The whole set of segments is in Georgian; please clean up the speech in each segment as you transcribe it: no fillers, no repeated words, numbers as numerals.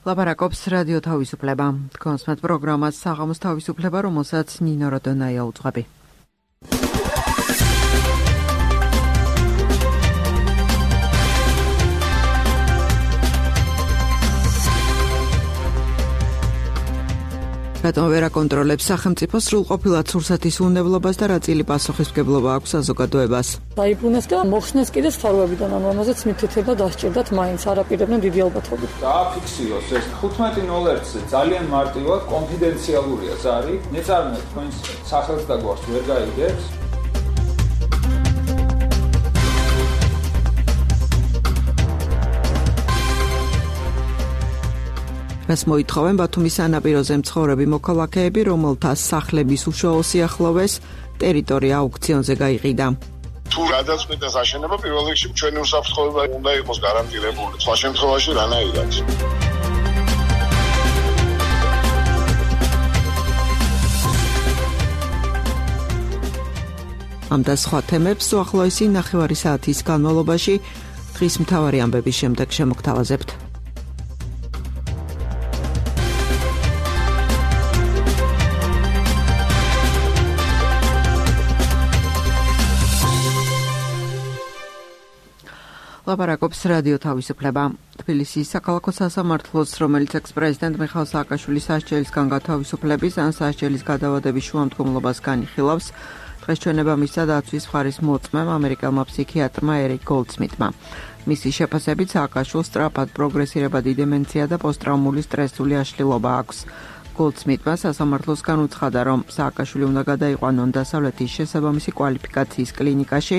ლაპარაკობს რადიო თავისუფლება. კონსმეთ პროგრამას საღამოს თავისუფლება, რომელსაც ნინო როდონაია უძღვები. რატომ ვერ აკონტროლებს სახელმწიფო სრულყოფილად სურსათის უნებლობას და რა წილი პასუხისმგებლობა აქვს საზოგადოებას? დაიბრუნეს და მოხსნეს კიდე სფაროებიდან, რომელზეც მითითება დასჭირდათ მაინც არაპირებდნენ დიდი ალბათობით. დააფიქსიროს ეს 15.01-ზე ძალიან მარტივად კონფიდენციალურია ზარი, მეწარმე თქვენს სახელს და გვარს ვერ გაიგებს. მას მოითხოვენ ბათუმის სანაპიროზე მცხოვრები მოქალაქეები, რომელთა სახლების უშუალო სიახლოვეს ტერიტორია აუქციონზე გაიყიდა. თუ გადაწყვიტეს აშენება, პირველ რიგში ჩვენი უსაფრთხოება უნდა იყოს გარანტირებული. სხვა შემთხვევაში რანაირად? ამ და სხვა თემებს უახლოესი ნახევარი საათის განმავლობაში დღის მთავარი ამბების შემდეგ შემოგთავაზებთ. ლაპარაკობს რადიო თავისუფლება. თბილისის საქალაქო სასამართლოს, რომელიც ექს-პრეზიდენტ მიხაილ სააკაშვილის სასჯელისგან გათავისუფლების ან სასჯელის გადავადების შუამდგომლობას განიხილავს, დღეს ჩვენება მისცა დაცვის მხარის მოწმემ ამერიკელმა ფსიქიატრმა ერიკ გოლდსმიტმა. მისი შეფასებით სააკაშვილს სწრაფად პროგრესირებადი დემენცია და პოსტტრაუმული სტრესული აშლილობა აქვს. გოლდსმიტმა სასამართლოსგან უცხადა, რომ სააკაშვილი უნდა გადაიყვანონ დასავლეთის შესაბამისი კვალიფიკაციის კლინიკაში,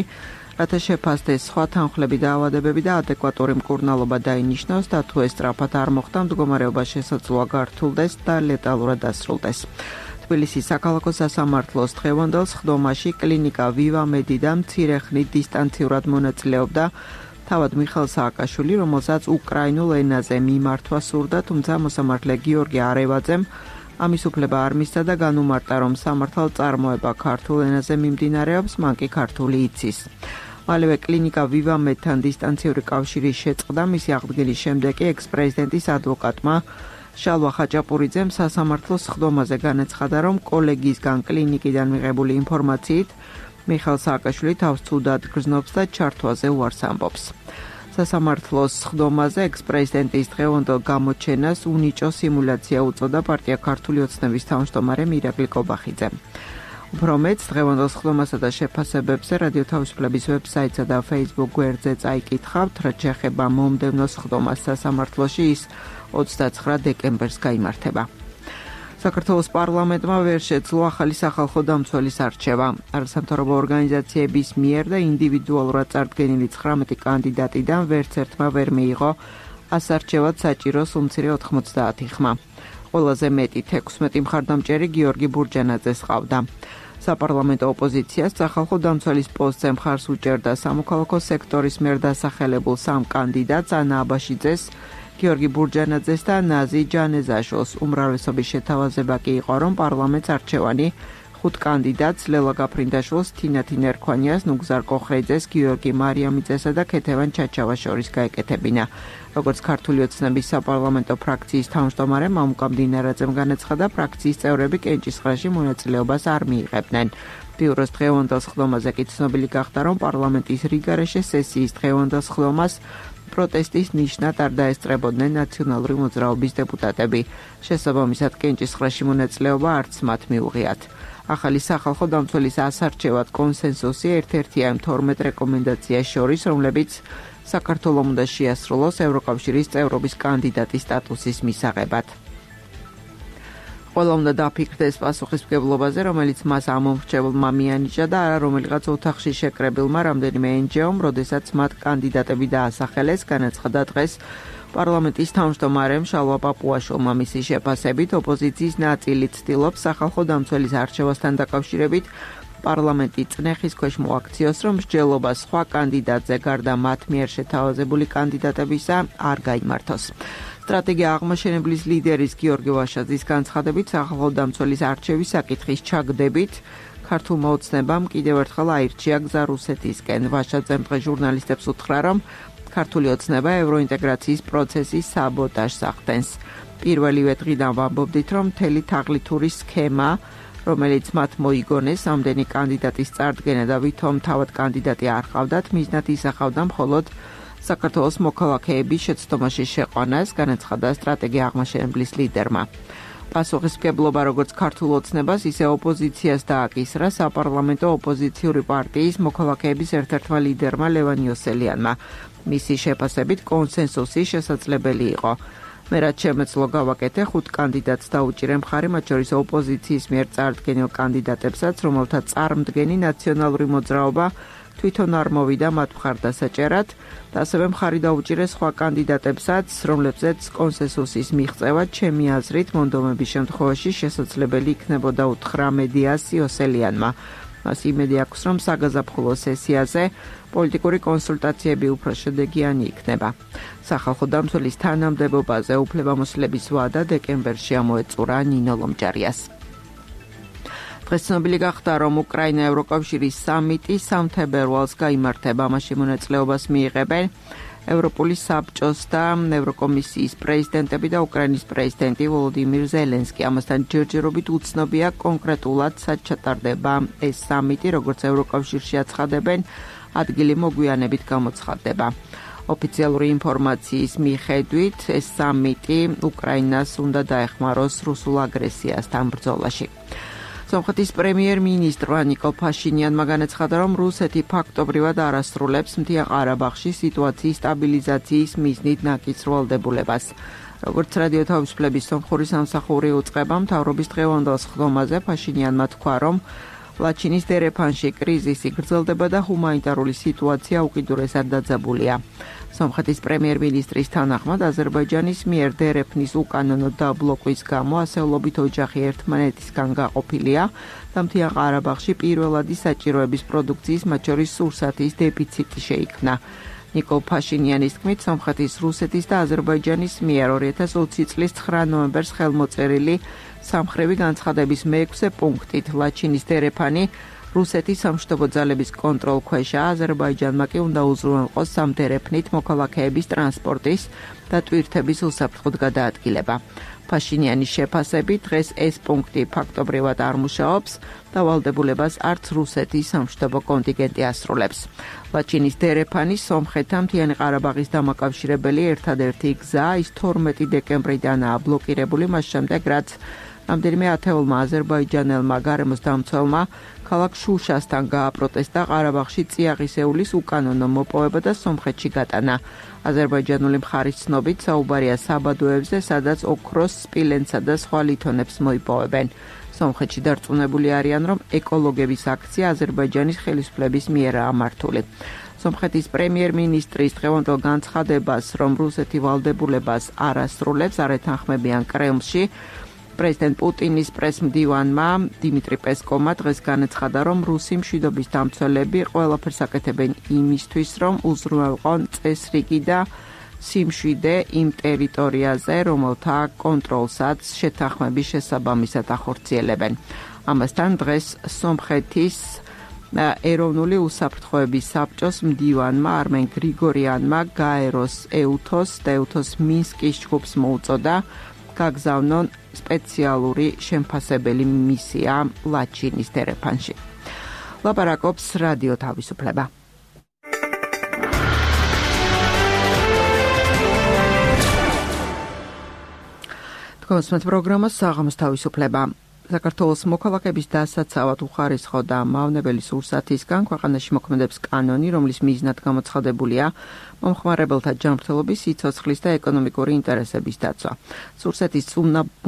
რათა შეფასდეს სხვა თანხლები და ავადებები და ადეკვატური მკურნალობა დაინიშნოს და თუ ეს სწრაფად არ მოხდა, მდგომარეობა შესაძლოა გართულდეს და ლეტალურად დასრულდეს. თბილისის საქალაქო სასამართლოს დღევანდელ სხდომაში კლინიკა ვივა მედიდა მცირე ხნით დისტანციურად მონაწილეობდა თავად მიხაილ სააკაშვილი, რომელსაც უკრაინულ ენაზე მიმართვა სურდა, თუმცა მოსამართლე გიორგი არევაძემ ამის უფლება არ მისცა და განუმარტა, რომ სამართალ წარმოება ქართულ ენაზე მიმდინარეობს, მან კი ქართული იცის. მალევე კლინიკა ვივა მედთან დისტანციური კავშირი შეწყდა, მისი აღდგენის შემდეგ კი ექს-პრეზიდენტის ადვოკატმა შალვა ხაჭაპურიძემ სასამართლოს სხდომაზე განაცხადა, რომ კოლეგისგან კლინიკიდან მიღებული ინფორმაციით მიხაილ სააკაშვილი თავს ცუდად გრძნობს და ჩართვაზე უარს ამბობს. სასამართლოს სხდომაზე ექს-პრეზიდენტის დღევანდელ გამოჩენას უნიჭო სიმულაცია უწოდა პარტია ქართული ოცნების თავმჯდომარემ ირაკლი კობახიძემ. უფრო მეტს დღევანდელ სხდომასა და შეფასებებზე რადიო თავისუფლების ვებსაიტსა და Facebook გვერდზე წაიკითხავთ, რაც შეეხება მომდევნო სხდომას სასამართლოში, ის 29 დეკემბერს გაიმართება. საქართველოს პარლამენტმა ვერ შეძლო ახალი სახალხო დამცველის არჩევა. არასამთავრობო ორგანიზაციების მიერ და ინდივიდუალურად წარდგენილი 19 კანდიდატიდან ვერც ერთმა ვერ მიიღო ასარჩევად საჭირო უმცირე 90 ხმა. ყველაზე მეტი 16 მხარდამჭერი გიორგი ბურჯანაძეს ჰყავდა. საპარლამენტო ოპოზიციას სახალხო დამცველის პოსტზე მხარს უჭერდა სამოქალაქო სექტორის მიერ დასახელებულ 3 კანდიდატს, ანა აბაშიძეს, გიორგი ბურჯანაძეს და ნაზი ჯანეზაშოს. უმრავლესობის შეთავაზება კი იყო, რომ პარლამენტს არჩევანი 5 კანდიდატს ლელა გაფრინდაშვილს, თინათინ ერქვანიას, ნუგზარ კოხრეიძეს, გიორგი მარიამიძესა და ქეთევან ჩაჩავას შორის გაეკეთებინა. როგორც ქართული ოცნების საპარლამენტო ფრაქციის თავმჯდომარემ მამუკა მდინარაძემ განაცხადა, ფრაქციის წევრები კენჭისყრაში მონაწილეობას არ მიიღებდნენ. ბიუროს დღევანდელ სხდომაზე კი ცნობილი გახდა, რომ პარლამენტის რიგარეშე სესიის დღევანდელ სხდომას პროტესტის ნიშნად არ დაესწრებოდნენ ნაციონალური მოძრაობის დეპუტატები. შესაბამისად კენჭისყრაში მონაწილეობა არც მათ მიუღიათ. ახალი სახალხო დამცველის ასარჩევად კონსენსუსი ერთ-ერთია იმ 12 რეკომენდაციას შორის, რომლებიც საქართველოს უნდა შეასრულოს ევროკავშირის წევრობის კანდიდატის სტატუსის მისაღებად. ყველა უნდა დაფიქრდეს პასუხისმგებლობაზე, რომელიც მას ამომრჩევლმა მიანიჭა და არა რომელიღაც ოთახში შეკრებილმა რამდენიმე NGO-მ, როდესაც მათ კანდიდატები დაასახელეს, განაცხადა დღეს პარლამენტის თავმჯდომარემ შალვა პაპუაშვილმა. მისი შეფასებით, ოპოზიციის ნაწილი ცდილობს სახალხო დამცველის არჩევასთან დაკავშირებით პარლამენტი წნეხის ქვეშ მოაქციოს, რომ მსჯელობა სხვა კანდიდატზე გარდა მათ მიერ შეთავაზებული კანდიდატებისა არ გაიმართოს. სტრატეგია აღმაშენებლის ლიდერის გიორგი ვაშაძის განცხადებით, სახალხო დამცველის არჩევის საკითხის ჩაგდებით ქართულმა ოცნებამ კიდევ ერთხელ აირჩია გზა რუსეთისკენ. ვაშაძემ დღეს ჟურნალისტებს უთხრა, რომ ქართული ოცნება ევროინტეგრაციის პროცესის საბოტაჟს ახდენს. პირველივე დღიდან ვამბობდით, რომ მთელი თაღლითური სქემა, რომელიც მათ მოიგონეს ამდენი კანდიდატის წარდგენა და ვითომ თავად კანდიდატი არ ყავდათ, მიზნად ისახავდა მხოლოდ საქართველოს მოქალაქეების შეცდომაში შეყვანას, განაცხადა სტრატეგია აღმაშენებლის ლიდერმა. პასუხისმგებლობა როგორც ქართულ ოცნებას, ისე ოპოზიციას დააკისრა საპარლამენტო ოპოზიციური პარტიის მოქალაქეების ერთ-ერთმა ლიდერმა ლევან იოსელიანმა. მისი შეფასებით კონსენსუსი შესაძლებელი იყო. მე რაც შემეძლო გავაკეთე 5 კანდიდატს დაუჭირე მხარი, მათ შორის ოპოზიციის მიერ წარდგენილ კანდიდატებსაც, რომელთა წარმდგენი ნაციონალური მოძრაობა თვითონ არ მოვიდა მათ მხარდასაჭერად და ასევე მხარი დაუჭირე სხვა კანდიდატებსაც, რომლებზეც კონსენსუსის მიღწევა ჩემი აზრით მონდომების შემთხვევაში შესაძლებელი იქნებოდა უთხრა მედიას იოსელიანმა. მას იმედი აქვს, რომ საგაზაფხულო სესიაზე პოლიტიკური კონსულტაციები უფრო შედეგიანი იქნება. სახალხო დამცველის თანამდებობაზე უფლებამოსილების ვადა დეკემბერში ამოეწურა ნინო ლომჯარიას. დღეს ცნობილი გახდა, რომ უკრაინა ევროკავშირის სამიტი 3 თებერვალს გაიმართება. ამაში მონაწილეობას მიიღებენ ევროპული საბჭოს და ევროკომისიის პრეზიდენტები და უკრაინის პრეზიდენტი ვოლოდიმირ ზელენსკი. ამასთან ჯერჯერობით უცნობია კონკრეტულად სად ჩატარდება ეს სამიტი, როგორც ევროკავშირში აცხადებენ, ადგილი მოგვიანებით გამოცხადდება. ოფიციალური ინფორმაციის მიხედვით, ეს სამიტი უკრაინას უნდა დაეხმაროს რუსულ აგრესიასთან ბრძოლაში. სომხეთის პრემიერ-მინისტრმა ნიკოლ ფაშინიანმა განაცხადა, რომ რუსეთი ფაქტობრივად არ ასრულებს მთიან ყარაბაღში სიტუაციის სტაბილიზაციის მიზნით ნაკისრვალდებულებას. როგორც რადიო თავისუფლების სომხური სამსახური უწყება, მთავრობის დღევანდელ სხდომაზე ფაშინიანმა თქვა, რომ ლაჩინის დერეფანში კრიზისი გრძელდება და ჰუმანიტარული სიტუაცია უკიდურესად დაძაბულია. სომხეთის პრემიერ-მინისტრის თანახმად, აზერბაიჯანის მიერ დერეფნის უკანონო დაბლოკვის გამო ასეულობით ოჯახი ერთმანეთისგან გაყოფილია და მთიან ყარაბაღში პირველადი საჭიროების პროდუქციის, მათ შორის სურსათის დეფიციტი შეიქმნა. ნიკოლ ფაშინიანის თქმით, სომხეთის, რუსეთის და აზერბაიჯანის მიერ 2020 წლის 9 ნოემბერს ხელმოწერილი სამხრევი განცხადების მე-6 პუნქტით ლაჩინის დერეფანი რუსეთის სამშვიდობო ძალების კონტროლქვეშა, აზერბაიჯანმა კი უნდა უზრუნველყოს სამდერეფნით მოქალაქეების ტრანსპორტის და ტვირთების უსაფრთხოდ გადაადგილება. ფაშინიანის შეფასებით, დღეს ეს პუნქტი ფაქტობრივად არ მუშაობს და ვალდებულებას არც რუსეთის სამშვიდობო კონტინგენტი ასრულებს. ლაჩინის დერეფანი სომხეთთან მთიანი ყარაბაღის დამაკავშირებელი ერთადერთი გზა, ის 12 დეკემბრიდანაა ბლოკირებული, მას შემდეგ რაც რამდენიმე ათეულმა აზერბაიჯანელმა გარემოს დამცველმა ქალაქ შუშასთან გააპროტესტა ყარაბაღში წიაღისეულის უკანონო მოპოვება და სომხეთში გატანა. აზერბაიჯანული მხარის ცნობით საუბარია საბადოებზე, სადაც ოქროს, სპილენცსა და სხვა ლითონებს მოიპოვებენ. სომხეთში დარწმუნებული არიან, რომ ეკოლოგების აქცია აზერბაიჯანის ხელისუფლების მიერაა მართული. სომხეთის პრემიერ-მინისტრის დღევანდელ განცხადებას, რომ რუსეთი ვალდებულებას არ ასრულებს, არ ეთანხმებიან კრემლში, პრეზიდენტ პუტინის პრესმდივანმა დიმიტრი პესკოვმა დღეს განაცხადა, რომ რუსი მშვიდობის დამცველები ყველაფერს აკეთებენ იმისთვის, რომ უზრუნველყონ წესრიგი და სიმშვიდე იმ ტერიტორიაზე, რომელთა კონტროლსაც შეთანხმების შესაბამისად ახორციელებენ. ამასთან დღეს სომხეთის ეროვნული უსაფრთხოების საბჭოს მდივანმა არმენ გრიგორიანმა გაეროს ეუთოს და ეუთოს მინსკის ჯგუფს მოუწოდა გაგზავნონ სპეციალური შემფასებელი მისია ლაჩინის დერეფანში. ლაპარაკობს რადიო თავისუფლება. თქვენს პროგრამას საღამოს თავისუფლება. საქართველოს მოქალაქეების დასაცავად უხარისხოდა მავნებელი სურსათისგან ქვეყანაში მოქმედებს კანონი, რომლის მიზნად გამოცხადებულია მომხმარებელთა ჯანმრთელობის, სიცოცხლის და ეკონომიკური ინტერესების დაცვა. სურსეთის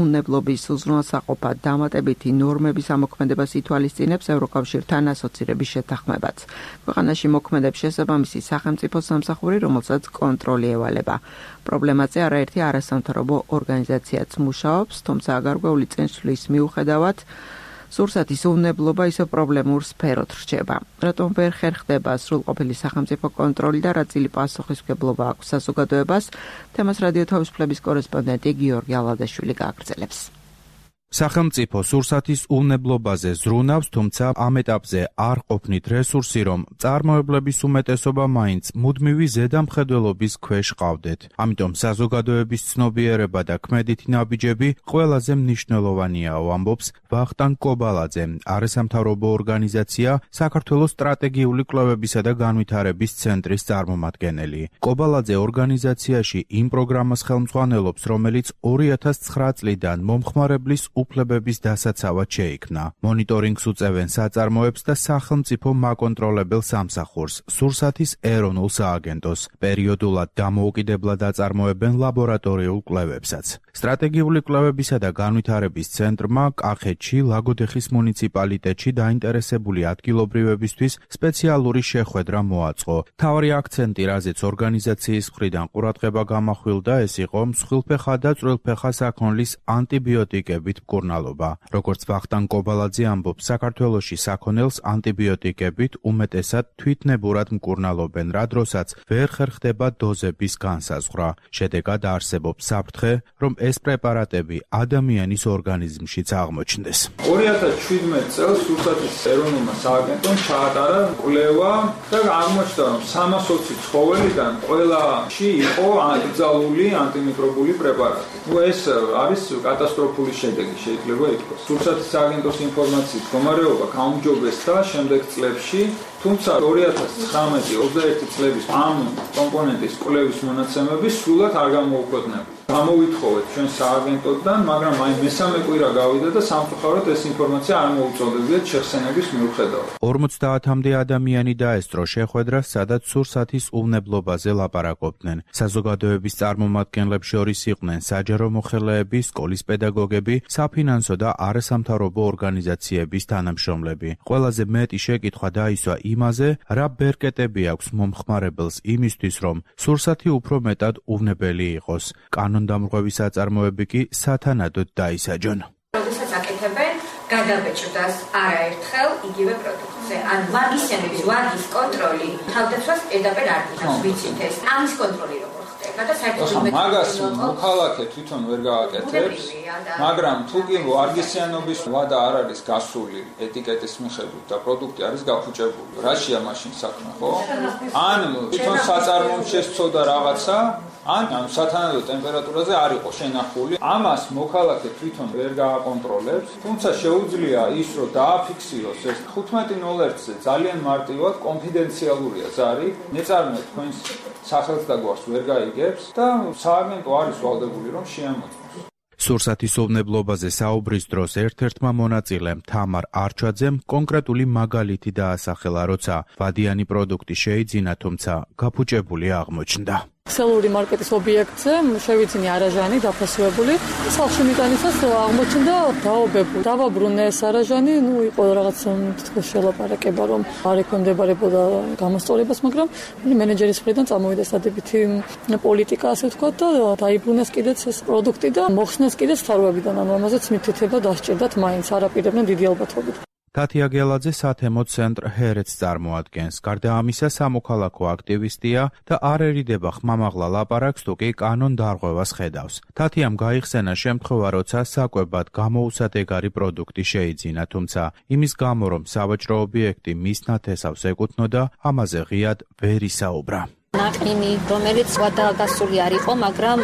უნებლობის უზრუნველსაყოფად დამატებითი ნორმების ამოქმედებას ითვალისწინებს ევროკავშირთან ასოცირების შეთანხმებაც. ქვეყანაში მოქმედებს შესაბამისი სახელმწიფო სამსახური, რომელსაც კონტროლი ევალება. პრობლემაზე არაერთი არასამთავრობო ორგანიზაციაც მუშაობს, თუმცა გარკვეული წინსვლის მიუხედავად სურსათის უნებლობა ისევ პრობლემურ სფეროდ რჩება. რატომ ვერ ხერხდება სრულყოფილი სახელმწიფო კონტროლი და რა წილი პასუხისმგებლობა აქვს საზოგადოებას? თემას რადიო თავისუფლების კორესპონდენტი გიორგი ალადაშვილი გააგრძელებს. სახელმწიფო სურსათის უვნებლობაზე ზრუნავს, თუმცა ამ ეტაპზე არ ყოფნით რესურსი, რომ წარმოებლების უმეტესობა მაინც მუდმივი ზედამხედველობის ქვეშ ყავდეთ. ამიტომ საზოგადოების ცნობიერება და ქმედითი ნაბიჯები ყველაზე მნიშვნელოვანიაო, ამბობს ვახტანგ კობალაძე, არასამთავრობო ორგანიზაცია საქართველოს სტრატეგიული კვლევებისა და განვითარების ცენტრის წარმომადგენელი. კობალაძე ორგანიზაციაში იმ პროგრამას ხელმძღვანელობს, რომელიც 2009 წლიდან მომხმარებლის უფლებების დასაცავად შეიქმნა. მონიტორინგს უწევენ საწარმოებს და სახელმწიფო მაკონტროლებელ სამსახურს, სურსათის ეროვნულ სააგენტოს. პერიოდულად დამოუკიდებლად აწარმოებენ ლაბორატორიულ კვლევებსაც. სტრატეგიული კვლევებისა და განვითარების ცენტრმა კახეთში, ლაგოდეხის მუნიციპალიტეტში დაინტერესებული ადგილობრივებისთვის სპეციალური შეხვედრა მოაწყო. მთავარი აქცენტი, რაზეც ორგანიზაციის მხრიდან ყურადღება გამახვილდა, ეს იყო მსხვილფეხა და წვრილფეხა საქონლის ანტიბიოტიკებით მკურნალობა. როგორც ვახტანგ კობალაძე ამბობს, საქართველოში საქონელს ანტიბიოტიკებით უმეტესად თვითნებურად მკურნალობენ, რა დროსაც ვერ ხერხდება დოზების განსაზღვრა. შედეგად არსებობს საფრთხე, რომ ეს პრეპარატები ადამიანის ორგანიზმშიც აღმოჩნდეს. 2017 წელს სურსათის ეროვნულმა სააგენტომ ჩაატარა კვლევა და აღმოჩნდა, რომ 320 ცხოველიდან ყველაში იყო აკრძალული ანტიმიკრობული პრეპარატი. ეს არის კატასტროფული შედეგი შეიძლება ითქვას. სურსათის სააგენტოს ინფორმაციით მდგომარეობა გაუმჯობესდა შემდეგ წლებში, თუმცა 2019-21 წლების ამ კომპონენტის კვლევის მონაცემები სრულად არ გამოუქვეყნებულა. გამოვითხოვეთ ჩვენ სააგენტოდან, მაგრამ აი მესამე კვირა გავიდა და სამწუხაროდ ეს ინფორმაცია არ მოუწოდებიათ შეხსენების მიუხედავად. 50-მდე ადამიანი დაესწრო შეხვედრას, სადაც სურსათის უვნებლობაზე ლაპარაკობდნენ. საზოგადოების წარმომადგენლებს შორის იყვნენ საჯარო მოხელეები, სკოლის პედაგოგები, საფინანსო და არასამთავრობო ორგანიზაციების თანამშრომლები. ყველაზე მეტი შეკითხვა დაისვა იმაზე, რა ბერკეტები აქვს მომხმარებელს იმისთვის, რომ სურსათი უფრო მეტად უვნებელი იყოს. კანონდამრღვევის საწარმოები კი სათანადოდ დაისაჯონ. როდესაც აკეთებენ გადაბეჭდას არაერთხელ იგივე პროდუქტზე. ან მაგისენების ვარგის კონტროლი თავდაცვას პირდაპირ არ დიახავს, ვიცით ეს. ამის კონტროლი როგორ ხდება და საერთოდ მაგას მოქალაქე თვითონ ვერ გააკეთებს, მაგრამ თუ კი ვარგისიანობის ვადა არ არის გასული ეტიკეტის მიხედვით და პროდუქტი არის გაფუჭებული, რაშია მაშინ საქმე, ხო? ან თვითონ საწარმომ შესწოდა რაღაცა, ან ამ სათანადო ტემპერატურაზე არ იყო შენახული. ამას მოქალაქე თვითონ ვერ გააკონტროლებს, თუმცა შეუძლია ის, რომ დააფიქსიროს ეს 15.01-ზე ძალიან მარტივად კონფიდენციალურია ზარი, მეწარმე თქვენს სახელს და გვარს ვერ გაიგებს და სააგენტო არის ვალდებული რომ შეამოწმოს. სურსათის უვნებლობაზე საუბრის დროს ერთ-ერთმა მონაწილემ თამარ არჩაძემ კონკრეტული მაგალითი დაასახელა, როცა ვადიანი პროდუქტი შეიძინა, თუმცა გაფუჭებული აღმოჩნდა. ქსელური მარკეტის ობიექტზე შევიძინე არაჟანი დაფასებული. სახლში მიტანისას აღმოჩნდა დაობებული. დავაბრუნე ეს არაჟანი, იყო რაღაც თითქოს შელაპარაკება, რომ არ ექვემდებარებოდა გამოსწორებას, მაგრამ მენეჯერის მხრიდან წამოვიდა სადებითი პოლიტიკა, ასე ვთქვათ, და დაიბრუნეს კიდეც ეს პროდუქტი და მოხსნეს კიდეც თარვებიდან, ანუ ამაზეც მითითება დასჭირდათ მაინც არაპირებდნენ დიდი ალბათობით. თათია გელაძე სათემო ცენტრ ჰერეთს წარმოადგენს. გარდა ამისა, სამოქალაქო აქტივისტია და არ ერიდება ხმამაღლა ლაპარაკს, თუ კი კანონდარღვევას ხედავს. თათიამ გაიხსენა შემთხვევა, როცა საკვებად გამოუსადეგარი პროდუქტი შეიძინა, თუმცა იმის გამო, რომ სავაჭრო ობიექტი მის ნათესავს ეკუთვნოდა, ამაზე ღიად ვერ ისაუბრა. ნაყინი, რომელიც ვადაგასული არ იყო, მაგრამ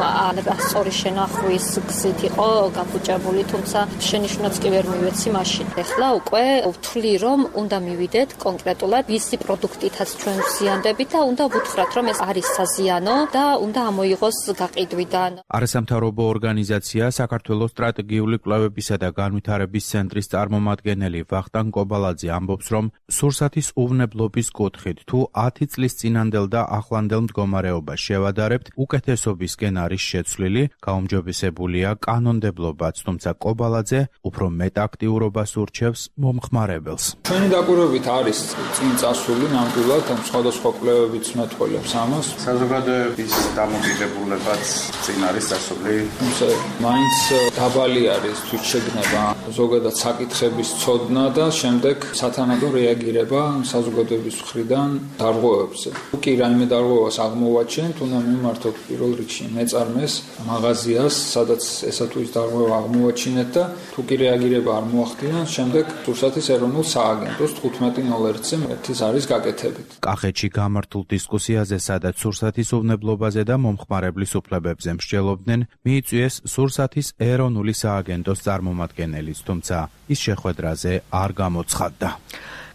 სწორი შენახვის გზით იყო გაფუჭებული, თუმცა შენიშვნაც კი ვერ მივეცი მაშინ. ეხლა უკვე ვთვლი, რომ უნდა მივიდეთ კონკრეტულად ვისი პროდუქტითაც ჩვენ ვზიანდებით და უნდა ვუთხრათ, რომ ეს არის საზიანო და უნდა ამოიღოს გაყიდვიდან. არასამთავრობო ორგანიზაცია საქართველოს სტრატეგიული კვლევებისა და განვითარების ცენტრის წარმომადგენელი ვახტანგ კობალაძე ამბობს, რომ სურსათის უვნებლობის კუთხით თუ 10 წლის წინანდელ და ახლანდელ მდგომარეობას შევადარებთ, უკეთესობისკენ არის შეცვლილი, გაუმჯობესებულია კანონმდებლობაც, თუმცა კობალაძე უფრო მეტ აქტიურობას ურჩევს მომხმარებელს. ჩვენი დაკვირვებით არის წინ წასული ნამდვილად სხვადასხვა კვლევებიც მეტყველებს ამას. საზოგადოების დამოკიდებულებაც წინ არის დასული. თუმცა მაინც დაბალი არის თვით შეგნება, ზოგადად საკითხების ცოდნა და შემდეგ სათანადო რეაგირება საზოგადოების მხრიდან დარღვევებზე. თუ კი რაიმე დარღვევა დარღვევას აღმოვაჩენთ, უნდა მიმართოთ პირველ რიგში მეწარმეს, მაღაზიას, სადაც ესა თუ ის დარღვევა აღმოვაჩინეთ და თუ კი რეაგირება არ მოახდინა, შემდეგ სურსათის ეროვნულ სააგენტოს 15.01-ზე ერთის არის გაკეთებით. კახეთში გამართულ დისკუსიაზე, სადაც სურსათის უვნებლობაზე და მომხმარებლის უფლებებზე მსჯელობდნენ, მიიწვიეს სურსათის ეროვნული სააგენტოს წარმომადგენელიც, თუმცა ის შეხვედრაზე არ გამოცხადდა.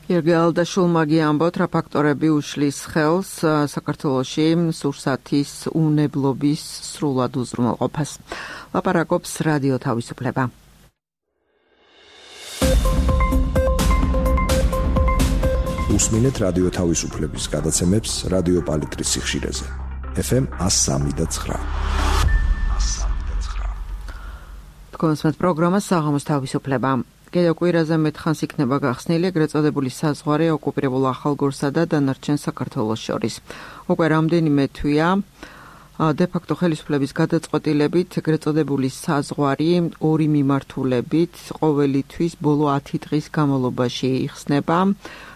გიორგი ალდაშულმა გიამბოთ, რა ფაქტორები უშლის ხელს საქართველოში სურსათის უვნებლობის სრულად უზრუნველყოფას. ლაპარაკობს რადიო თავისუფლება. უსმინეთ რადიო თავისუფლების გადაცემებს რადიო პალიტრის სიხშირეზე. FM 103.9. თქვენს პროგრამა საღამოს თავისუფლება. კიდევ კვირაზე მეტხანს იქნება გახსნილი ეგრეთ წოდებული საზღვარი ოკუპირებულ ახალგორსა და დანარჩენ საქართველოს შორის. უკვე რამდენიმე თვეა დე-ფაქტო ხელისუფლების გადაწყვეტილებით ეგრეთ წოდებული საზღვარი ორი მიმართულებით ყოველი თვის ბოლო 10 დღის განმავლობაში იხსნება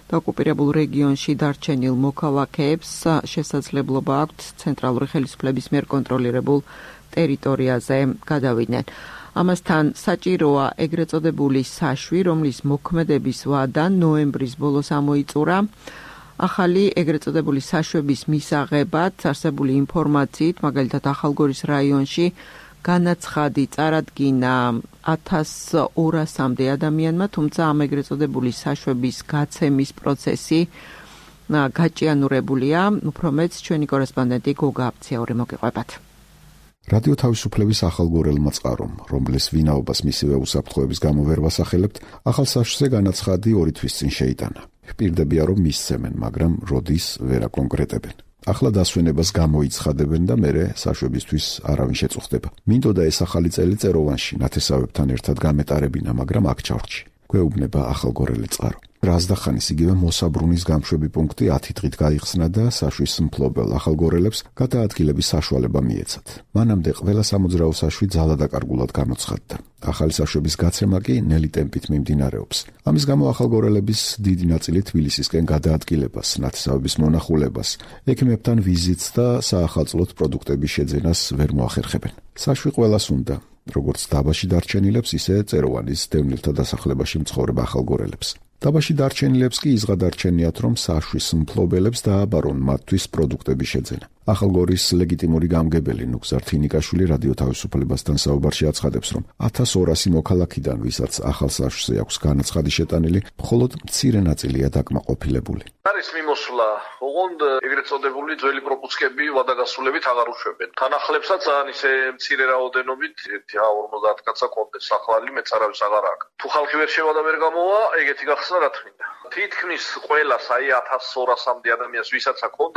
და ოკუპირებულ რეგიონში დარჩენილ მოქალაქეებს შესაძლებლობა აქვთ ცენტრალური ხელისუფლების მიერ კონტროლირებულ ტერიტორიაზე გადავიდნენ. ამასთან საჭიროა ეგრეთ წოდებული საშვი, რომლის მოქმედების ვადა ნოემბრის ბოლოს ამოიწურა. ახალი ეგრეთ წოდებული საშვების მისაღებად არსებული ინფორმაციით, მაგალითად ახალგორის რაიონში განაცხადი წარადგინა 1200-მდე ადამიანმა, თუმცა ამ ეგრეთ წოდებული საშვების გაცემის პროცესი გაჭიანურებულია. უფრო მეც ჩვენი კორესპონდენტი გოგა აფციაური მოგიყვებათ. რადიო თავისუფლების ახალგორელმა წყარომ, რომლის ვინაობას მისივე უსაფრთხოების გამო ვერ ვასახელებთ, ახალ საშვზე განაცხადი 2 თვის წინ შეიტანა. ვპირდებია, რომ მისცემენ, მაგრამ როდის ვერ აკონკრეტებენ. ახლა დასვენებას გამოიცხადებენ და მერე საშვებისთვის არავინ შეწუხდება. მინდოდა ეს ახალი წელი წეროვანში ნათესავებთან ერთად გამეტარებინა, მაგრამ აქ ჩავრჩი. გვეუბნება ახალგორელი წყარო. რაზდახანის იგივე მოსაბრუნის გამშვები პუნქტი 10 დღით გაიხსნა და საშვის მფლობელ ახალგორელებს გადაადგილების საშუალება მიეცათ. მანამდე ყველა სამოძრაო საშვი ძალადაკარგულად გამოცხადდა. ახალი საშვების გაცემა კი ნელი ტემპით მიმდინარეობს. ამის გამო ახალგორელების დიდი ნაწილი თბილისისკენ გადაადგილებას, ნათესავების მონახულებას, ექიმებთან ვიზიტს და საახალწლოდ პროდუქტების შეძენას ვერ მოახერხებენ. საშვი ყველას უნდა, როგორც დაბაში დარჩენილებს, ისე წეროვანის დევნილთა დასახლებაში მცხოვრებ ახალგორელებს. დაბაში დარჩენილებს კი იზღადარჩენიათ, რომ საშვის მფლობელებს დააბარონ მათთვის პროდუქტების შეძენა. ახალგორის ლეგიტიმური გამგებელი ნუგზარ თინიკაშვილი რადიო თავისუფლებასთან საუბარში აცხადებს, რომ 1200 მოქალაქიდან, ვისაც ახალ საშვზე აქვს განაცხადი შეტანილი, მხოლოდ მცირე ნაწილია დაკმაყოფილებული. არის მიმოსვლა, ოღონდ ეგრეთ წოდებული ძველი პროპუსკები ვადაგასრულებით აღარ უშვებენ. თანახლებსაც ძალიან ისე მცირე რაოდენობით 50 კაცსა კონდეს, ახალი მეც არავის აღარ აქვს. თუ ხალხი ვერ შევა და ვერ გამოვა, ეგეთი გახსნა რა თქმა უნდა. თითქმის ყველას, აი 1200-მდე ადამიანს, ვისაც აქვს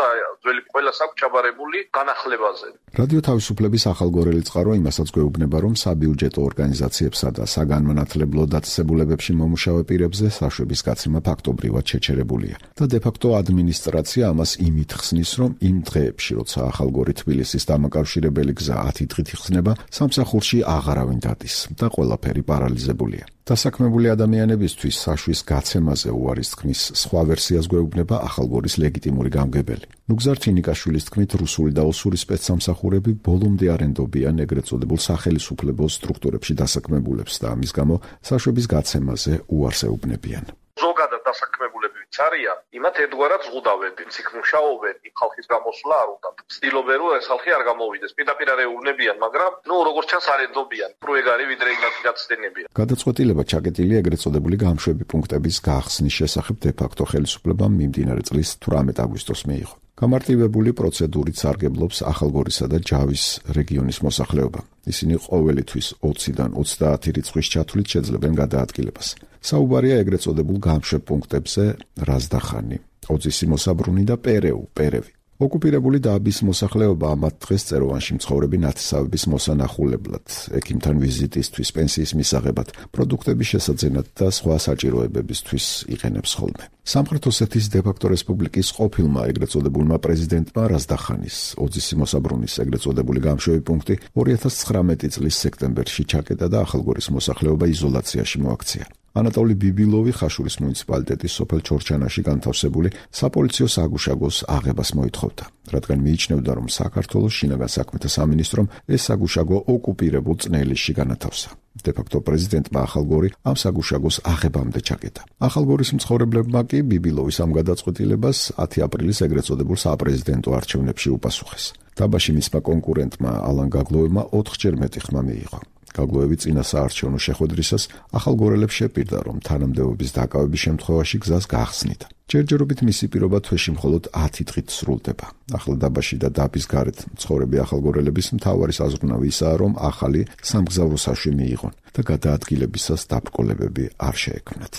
ძველი ყველას აქვს ჩაბარებული განახლებაზე. რადიო თავისუფლების ახალგორელი წყარო იმასაც გვეუბნება, რომ საბიუჯეტო ორგანიზაციებსა და საგანმანათლებლო დაწესებულებებში მომუშავე პირებზე საშვების გაცემა ფაქტობრივად შეჩერებულია და დე-ფაქტო ადმინისტრაცია ამას იმით ხსნის, რომ იმ დღეებში, როცა ახალგორი თბილისის დამაკავშირებელი გზა 10 დღით იხსნება, სამსახურში აღარავინ დადის და ყველაფერი პარალიზებულია. დასაქმებული ადამიანებისთვის საშვის გაცემაზე უარის თქმის სხვა ვერსიას გვეუბნება ახალგორის ლეგიტიმური გამგებელი. ნუგზარ თინიკაშვილის თქმით, რუსული და ოსური სპეცსამსახურები ბოლომდე არ ენდობიან ეგრეთ წოდებულ სახელისუფლებო სტრუქტურებში დასაქმებულებს და ამის გამო საშვების გაცემაზე უარს ეუბნებიან. ზოგადად დასაქმებულები ვინც არიან, იმათ ერთგვარად ზღუდავენ, იქ მუშაობენ, იქ ხალხის გამოსვლა არ უნდათ. ცდილობენ, რომ ეს ხალხი არ გამოვიდეს. პირდაპირ არ ეუბნებიან, მაგრამ როგორც ჩანს არ ენდობიან. პროეგარი ვიდრე იმათ გაცდენებიან. გადაწყვეტილება ჩაკეტილია ეგრეთ წოდებული გამშვები პუნქტების გახსნის შესახებ დე-ფაქტო ხელისუფლებამ მიმდინარე წლის 18 აგვისტოს მიიღო. გამარტივებული პროცედურით სარგებლობს ახალგორისა და ჯავის რეგიონის მოსახლეობა. ისინი ყოველი თვის 20-დან 30 რიცხვის ჩათვლით შეძლებენ გადაადგილებას. საუბარია ეგრეთ წოდებულ გამშვებ პუნქტებზე რაზდახანი, ოძისი მოსაბრუნი და პერევი. ოკუპირებული დაბის მოსახლეობა ამათ დღეს წეროვანში მცხოვრები ნათესავების მოსანახულებლად, ექიმთან ვიზიტისთვის, პენსიის მისაღებად, პროდუქტების შესაძენად და სხვა საჭიროებებისთვის იყენებს ხოლმე. სამხრეთ ოსეთის დე-ფაქტო რესპუბლიკის ყოფილმა ეგრეთ წოდებულმა პრეზიდენტმა რაზდახანის ოძისი მოსაბრუნის ეგრეთ წოდებული გამშვები პუნქტი 2019 წლის სექტემბერში ჩაკეტა და ახალგორის მოსახლეობა იზოლაციაში მოაქცია. ანატოლი ბიბილოვი ხაშურის მუნიციპალიტეტის სოფელ ჩორჩანაში განთავსებული საპოლიციო საგუშაგოს აღებას მოითხოვდა. რადგან მიიჩნევდა, რომ საქართველოს შინაგან საქმეთა სამინისტრომ ეს საგუშაგო ოკუპირებულ წნელისში განათავსა. დე-ფაქტო პრეზიდენტმა ახალგორი ამ საგუშაგოს აღებამდე ჩაკეტა. ახალგორის მცხოვრებლებმა კი ბიბილოვის ამ გადაწყვეტილებას 10 აპრილის ეგრეთ წოდებულ საპრეზიდენტო არჩევნებში უპასუხეს. დაბაში მისმა კონკურენტმა ალან გაგლოევმა 4-ჯერ მეტი ხმა მიიღო. გაგლოევი წინა საარჩევნო შეხვედრისას ახალგორელებს შეპირდა, რომ თანამდებობის დაკავების შემთხვევაში გზას გაახსნიდა. ჯერჯერობით მისი პირობა თვეში მხოლოდ 10 დღით სრულდება. ახლა დაბაში და დაბის გარეთ მცხოვრები ახალგორელების მთავარი საზრუნავი ისაა, რომ ახალი სამგზავრო საშუი მიიღონ და გადაადგილებისას დაბრკოლებები არ შეექმნათ.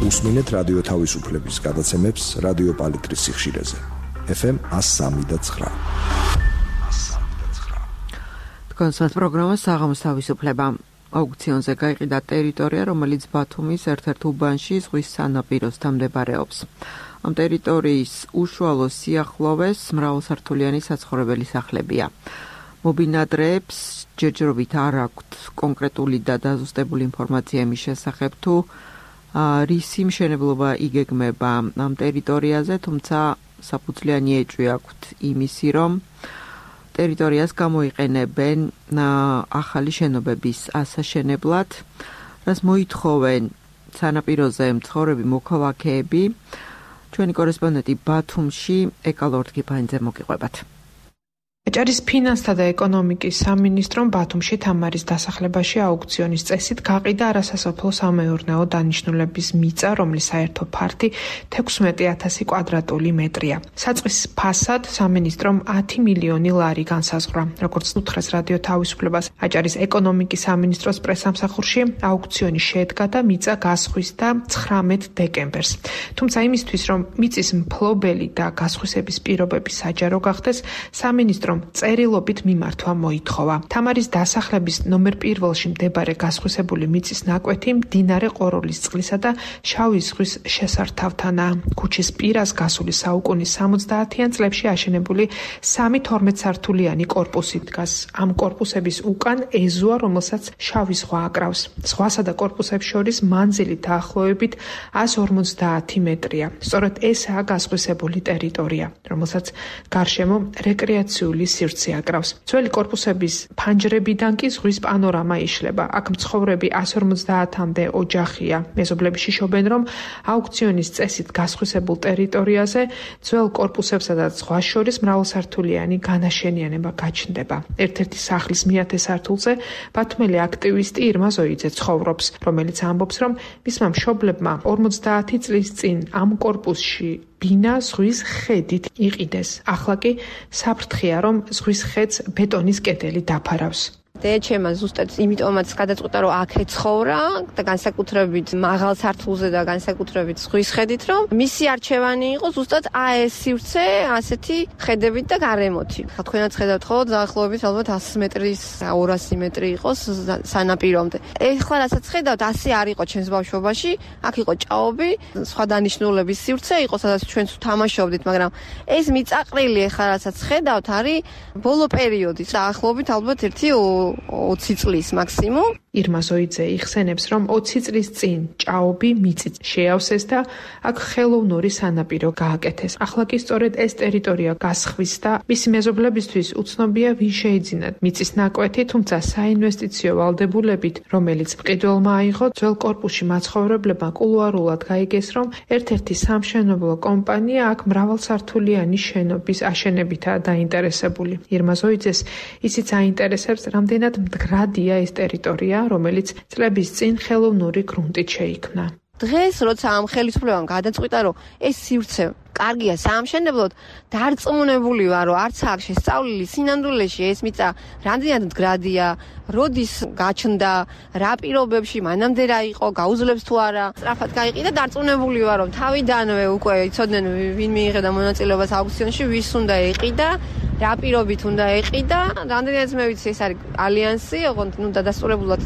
უსმინეთ რადიო თავისუფლების გადაცემებს რადიო პალიტრის სიხშირეზე. FM 103.9. კონსერტ პროგრამა საღამოს თავისუფლება. აუქციონზე გაიყიდა ტერიტორია, რომელიც ბათუმის ერთ-ერთ უბანში ზღვის სანაპიროსთან მდებარეობს. ამ ტერიტორიის უშუალო სიახლოვეს მრავალსართულიანი საცხოვრებელი სახლებია. მობინადრეებს ჯერჯერობით არ აქვთ კონკრეტული და დაზუსტებული ინფორმაცია იმის შესახებ, თუ რისი მშენებლობა იგეგმება ამ ტერიტორიაზე, თუმცა საფუძვლიანი ეჭვი აქვთ იმისი, რომ ტერიტორიას გამოიყენებენ ახალი შენობების ასაშენებლად, რაც მოითხოვენ სანაპიროზე მცხოვრები მოქალაქეები. ჩვენი კორესპონდენტი ბათუმში ეკალორდგიფანიძე მოგიყვებათ. აჭარის ფინანსთა და ეკონომიკის სამინისტრომ ბათუმში თამარის დასახლებაში აუქციონის წესით გაყიდა არასასოფლო სამეურნეო დანიშნულების მიწა, რომლის საერთო ფართი 16,000 კვადრატული მეტრია. საწყის ფასად სამინისტრომ 10 მილიონი ლარი განსაზღვრა. როგორც უთხრეს რადიო თავისუფლებას აჭარის ეკონომიკის სამინისტროს პრესამსახურში, აუქციონი შედგა და მიწა გასხვისდა 19 დეკემბერს. თუმცა იმისთვის, რომ მიწის მფლობელი და გასხვისების პირობები საჯარო გახდეს, სამინისტრომ წერილობით მიმართვა მოითხოვა. თამარის დასახლების ნომერ 1-ში მდებარე გასხვისებული მიწის ნაკვეთი მდინარე ყოროლის წყლისა და შავი ზღვის შესართავთანაა. ქუჩის პირას გასული საუკუნის 70-იან წლებში აშენებული 3 12-სართულიანი კორპუსი დგას. ამ კორპუსების უკან ეზოა, რომელსაც შავი ზღვა აკრავს. ზღვასა და კორპუსებს შორის მანძილი დაახლოებით 150 მეტრია. სწორედ ესაა გასხვისებული ტერიტორია, რომელსაც გარშემო რეკრეაციული სივრცე აკრავს. ძველი კორპუსების ფანჯრებიდან კი ზღვის პანორამა იშლება. აქ მცხოვრები 150-მდე ოჯახია. მეზობლები შიშობენ, რომ აუქციონის წესით გასხვისებულ ტერიტორიაზე ძველ კორპუსებსა და ზღვას შორის მრავალსართულიანი განაშენიანება გაჩნდება. ერთ-ერთი სახლის მე-10 სართულზე ბათუმელი აქტივისტი ირმა ზოიძე ცხოვრობს, რომელიც ამბობს, რომ მისმა მშობლებმა 50 წლის წინ ამ კორპუსში ბინა ზღვის ხედით იყიდეს. ახლა კი საფრთხეა, რომ ზღვის ხედს ბეტონის კედელი დაფარავს. დეჩემა ზუსტად იმიტომაც გადაწყვეტა, რომ აქ ეცხოვრა და განსაკუთრებით მაღალ სართულზე და განსაკუთრებით ზღვის ხედით, რომ მისი არჩევანი იყო ზუსტად ეს სივრცე ასეთი ხედებით და გარემოთი. თქვენაც ხედავთ ხო, დაახლოებით ალბათ 100 მეტრის, 200 მეტრი იყოს სანაპირომდე. ეხლა რასაც ხედავთ, ასე არ იყო ჩვენს ბავშვობაში, აქ იყო ჭაობი, სხვა დანიშნულების სივრცე იყო, სადაც ჩვენც თამაშობდით, მაგრამ ეს მიწაყრილი ეხლა რასაც ხედავთ, არის ბოლო პერიოდი, დაახლოებით ალბათ 20 წლის მაქსიმუმ. ირმა ზოიძე იხსენებს, რომ 20 წლის წინ ჭაობი მიწით შეავსეს და აქ ხელოვნური სანაპირო გააკეთეს. ახლა კი სწორედ ეს ტერიტორია გასხვის და მისი მეზობლებისთვის უცნობია ვინ შეიძინათ მიწის ნაკვეთი, თუმცა საინვესტიციო ვალდებულებით, რომელიც მყიდველმა აიღო, ძველ კორპუსში მაცხოვრებლებმა კულუარულად გაიგეს, რომ ერთ-ერთი სამშენებლო კომპანია აქ მრავალსართულიანი შენობის აშენებითაა დაინტერესებული. ირმა ზოიძეს ისიც აინტერესებს, რამდენად მდგრადია ეს ტერიტორია, რომელიც წლების წინ ხელოვნური გრუნტით შეიქმნა. დღეს როცა ამ ხელისუფლებამ გადაწყვიტა, რომ ეს სივრცე კარგია საამშენებლოდ, დარწმუნებული ვარ, რომ არც აქ შესწავლილი სინამდვილეში ეს მიწა რამდენად მდგრადია, როდის გაჩნდა, რა პირობებში, მანამდე რა იყო, გაუძლებს თუ არა. სწრაფად გაიყიდა, დარწმუნებული ვარ, რომ თავიდანვე უკვე იცოდნენ ვინ მიიღებდა მონაწილეობას აუქციონში, ვის უნდა ეყიდა, რა პირობით უნდა ეყიდა. რამდენადაც მე ვიცი, ეს არის ალიანსი, ოღონდ დადასტურებულად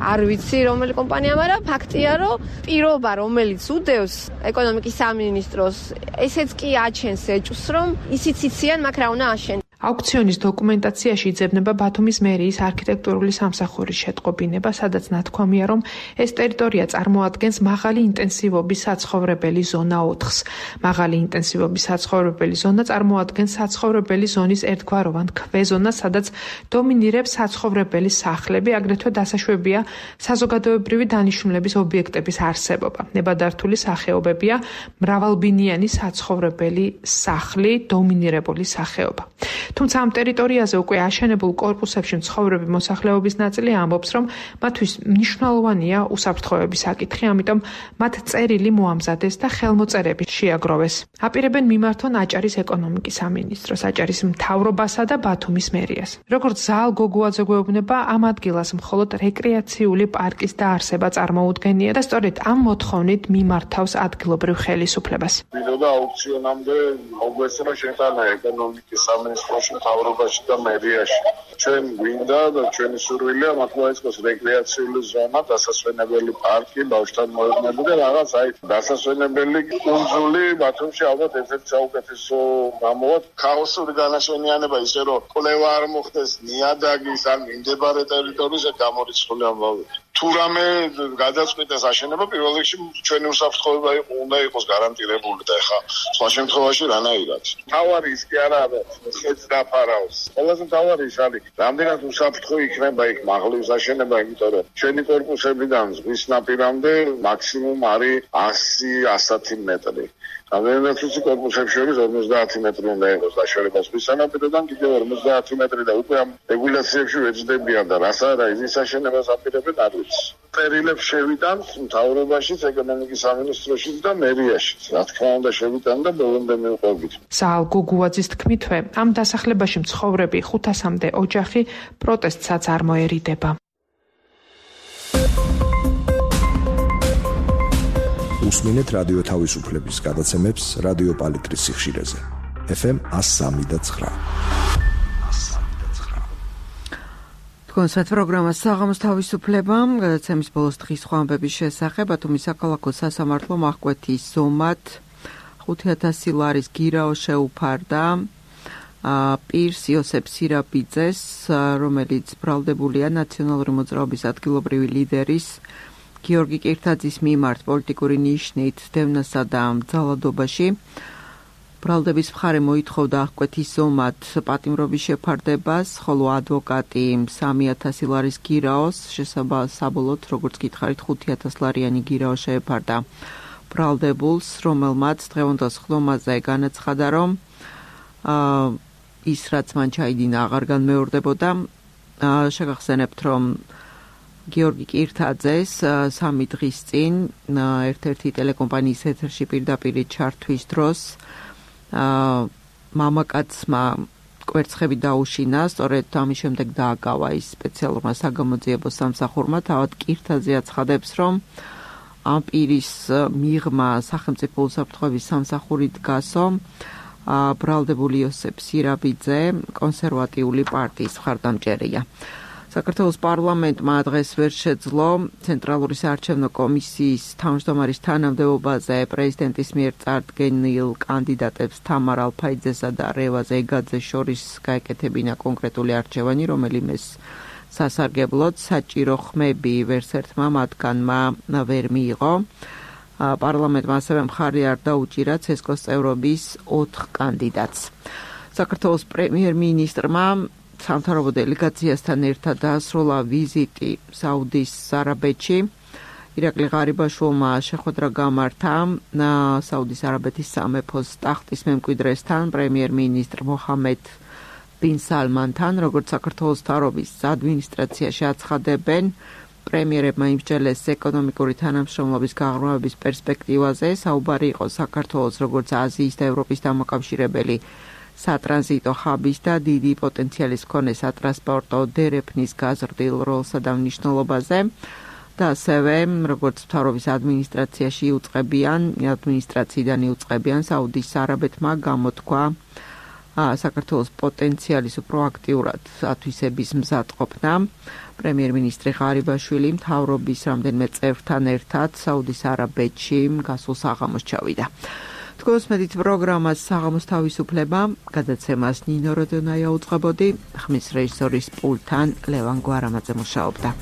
არ ვიცი რომელი კომპანია, მაგრამ ფაქტია, რომ პირობა, რომელიც უდევს ეკონომიკის სამინისტროს, ესეც კი აჩენს ეჭვს, რომ ისიც იციან, მაგრამ რა უნდა აშენონ. აუქციონის დოკუმენტაციაში იძებნება ბათუმის მერიის არქიტექტურული სამსახურის შეტყობინება, სადაც ნათქვამია, რომ ეს ტერიტორია წარმოადგენს მაღალი ინტენსივობის საცხოვრებელი ზონა 4-ს. მაღალი ინტენსივობის საცხოვრებელი ზონა წარმოადგენს საცხოვრებელი ზონის ერთგვაროვან ქვეზონას, სადაც დომინირებს საცხოვრებელი სახლები, აგრეთვე დასაშვებია საზოგადოებრივი დანიშნულების ობიექტების არსებობა. ნებადართული სახეობებია მრავალბინიანი საცხოვრებელი სახლი, დომინირებული სახეობა. თუმცა ამ ტერიტორიაზე უკვე აშენებულ კორპუსებში მცხოვრები მოსახლეობის ნაწილი ამბობს, რომ მათთვის მნიშვნელოვანია უსაფრთხოების საკითხი, ამიტომ მათ წერილი მოამზადეს და ხელმოწერები შეაგროვეს. აპირებენ მიმართონ აჭარის ეკონომიკის სამინისტროს, აჭარის მთავრობასა და ბათუმის მერიას. როგორც ზაალ გოგუაძე გვეუბნება, ამ ადგილას მხოლოდ რეკრეაციული პარკის დაარსება წარმოუდგენია და სწორედ ამ მოთხოვნით მიმართავს ადგილობრივ ხელისუფლებას. ვიდოდა აუქციონამდე მოგვესწრა შეტანა ეკონომიკის სამინისტროში, მთავრობაში და მერიაში. ჩვენ გვინდა და ჩვენი სურვილია მათ მოეწყოს რეკრეაციული ზონა, დასასვენებელი პარკი, ბავშვთან მოედნები და რაღაც დასასვენებელი კუნძული ბათუმში ალბათ ერთ-ერთი საუკეთესო გამოვა. ქაოსური განაშენიანება ისე რომ კვლევა არ მოხდეს ნიადაგის ან მიმდებარე ტერიტორიაზე გამორიცხული ამბავი. თუ რამე გადაწყვეტეს აშენება, პირველ რიგში ჩვენი უსაფრთხოება უნდა იყოს გარანტირებული და ეხა სხვა შემთხვევაში რანაირად. თავარი ის კი არა ხეთს დაფარავს. ყველაზე თავარი ის არის, რამდენად უსაფრთხო იქნება იქ მაღლის აშენება, იმიტომ რომ ჩვენი კორპუსებიდან ზღვის ნაპირამდე მაქსიმუმ არის 100-110 მეტრი. რამდენად უცი კორპუსებში შორის 50 მეტრი უნდა იყოს დაშორება ზღვის სანაპიროდან, კიდევ 50 მეტრი და უკვე ამ რეგულაციებში ვეძებიან და რას არა ის აშენებას აპირებენ არ ვიცი. წერილებს შევიტან მთავრობაშიც, ეკონომიკის სამინისტროშიც და მერიაში. რა თქმა უნდა შევიტან და ბოლომდე მივყვებით. ზაალ გოგუაძის თქმითვე, ამ დასახლებაში მცხოვრები 500-მდე ოჯახი პროტესტსაც არ მოერიდება. უსმინეთ რადიო თავისუფლების გადაცემებს რადიო პალიტრის სიხშირეზე. FM 103.9. თქვენსათ პროგრამას საღამოს თავისუფლება, გადაცემის ბოლოს დღის ხვამბების შესახებ, ბათუმის საქალაქო სასამართლომ აღკვეთის ზომად 5000 ლარის გირაო შეუფარდა პირს იოსებ სირაბიძეს, რომელიც ბრალდებულია ნაციონალური მოძრაობის ადგილობრივი ლიდერის გიორგი კირთაძის მიმართ პოლიტიკური ნიშნით დევნასა და ძალადობაში. ბრალდების მხარე მოითხოვდა აღკვეთის ზომად პატიმრობის შეფარდებას, ხოლო ადვოკატი 3000 ლარის გირაოს, შესაბამისად, როგორც გითხარით, 5000 ლარიანი გირაო შეეფარდა ბრალდებულს, რომელმაც დღევანდელ ხდომაზე განაცხადა, რომ ის რაც მან ჩაიდინა აღარ განმეორდებოდა. შეგახსენებთ, რომ გიორგი კირთაძეს 3 დღის წინ ერთ-ერთი ტელეკომპანიის ეთერში პირდაპირ ჩართვის დროს მამაკაცმა კვერცხები დაუშინა, სწორედ ამის შემდეგ დააკავა ის სპეციალურმა საგამოძიებო სამსახურმა. თავად კირთაძე აცხადებს, რომ ამ პირის მიღმა სახელმწიფო უსაფრთხოების სამსახურით გასო ბრალდებული იოსებ სირაბიძე კონსერვატიული პარტიის მხარდამჭერია. საქართველოს პარლამენტმა დღეს ვერ შეძლო ცენტრალური საარჩევნო კომისიის თავმჯდომარის თანამდებობაზე პრეზიდენტის მიერ წარდგენილ კანდიდატებს თამარ ალფაიძესა და რევაზ ეგაძეს შორის გაეკეთებინა კონკრეტული არჩევანი, რომელიმეს სასარგებლოდ საჭირო ხმები ვერსერთმა მათგანმა ვერ მიიღო. პარლამენტმა ასევე მხარი არ დაუჭირა ცესკოს წევრობის 4 კანდიდატს. საქართველოს პრემიერ-მინისტრმა სამთავრობო დელეგაციასთან ერთად დაასრულა ვიზიტი საუდის არაბეთში. ირაკლი ღარიბაშვილმა შეხვედრა გამართა საუდის არაბეთის სამეფოს ტახტის მემკვიდრესთან, პრემიერ-მინისტრ მოჰამედ ბინ სალმანთან, როგორც საქართველოს მთავრობის ადმინისტრაციაში აცხადებენ, პრემიერებმა იმსჯელეს ეკონომიკური თანამშრომლობის გაღრმავების პერსპექტივაზე. საუბარი იყო საქართველოს როგორც აზიის და ევროპის დამოკავშირებელი სატრანზიტო ხაბის და დიდი პოტენციალის მქონე სატრანსპორტო დერეფნის გაზრდილ როლსა და მნიშვნელობაზე და ასევე როგორც მთავრობის ადმინისტრაციაში იუწყებიან საუდის არაბეთმა გამოთქვა საქართველოს პოტენციალის პროაქტიურად ათვისების მზადყოფნა. პრემიერ-მინისტრი ღარიბაშვილი მთავრობის რამდენიმე წევრთან ერთად საუდის არაბეთში გასულ საღამოს ჩავიდა. თქოს მედით პროგრამას საღამოს თავისუფლება, გადაცემას ნინო როდონაია უძღვებოდი, ხმის რეჟისორის პულტთან ლევან გვარამაძე მუშაობდა.